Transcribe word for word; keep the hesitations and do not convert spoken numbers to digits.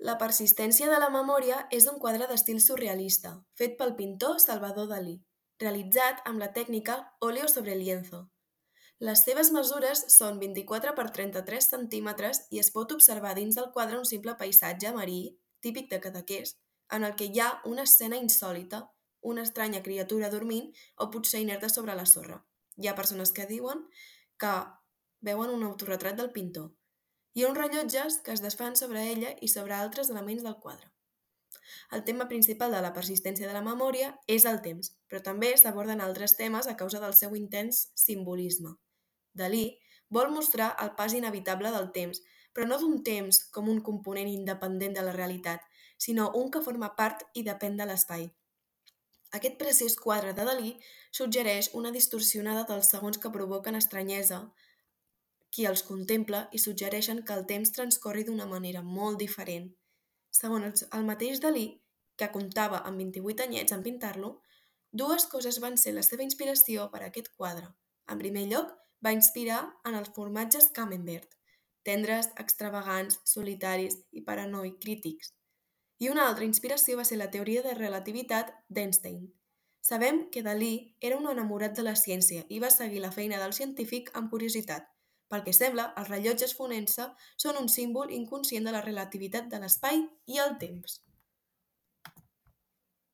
La persistència de la memòria és un quadre d'estil surrealista, fet pel pintor Salvador Dalí, realitzat amb la tècnica óleo sobre lienzo. Les seves mesures són vint-i-quatre per trenta-tres centímetres i es pot observar dins del quadre un simple paisatge marí, típic de Cadaqués, en el que hi ha una escena insòlita, una estranya criatura dormint o potser inerta sobre la sorra. Hi ha persones que diuen que veuen un autorretrat del pintor i uns rellotges que es desfan sobre ella i sobre altres elements del quadre. El tema principal de la persistència de la memòria és el temps, però també s'aborden altres temes a causa del seu intens simbolisme. Dalí vol mostrar el pas inevitable del temps, però no d'un temps com un component independent de la realitat, sinó un que forma part i depèn de l'espai. Aquest preciós quadre de Dalí suggereix una distorsionada dels segons que provoquen estranyesa qui els contempla i suggereixen que el temps transcorri d'una manera molt diferent. Segons el mateix Dalí, que comptava amb vint-i-vuit anyets en pintar-lo, dues coses van ser la seva inspiració per a aquest quadre. En primer lloc, va inspirar en els formatges Camembert, tendres, extravagants, solitaris i paranoi crítics. I una altra inspiració va ser la teoria de relativitat d'Einstein. Sabem que Dalí era un enamorat de la ciència i va seguir la feina del científic amb curiositat. Pel que sembla, els rellotges fonent-se són un símbol inconscient de la relativitat de l'espai i el temps.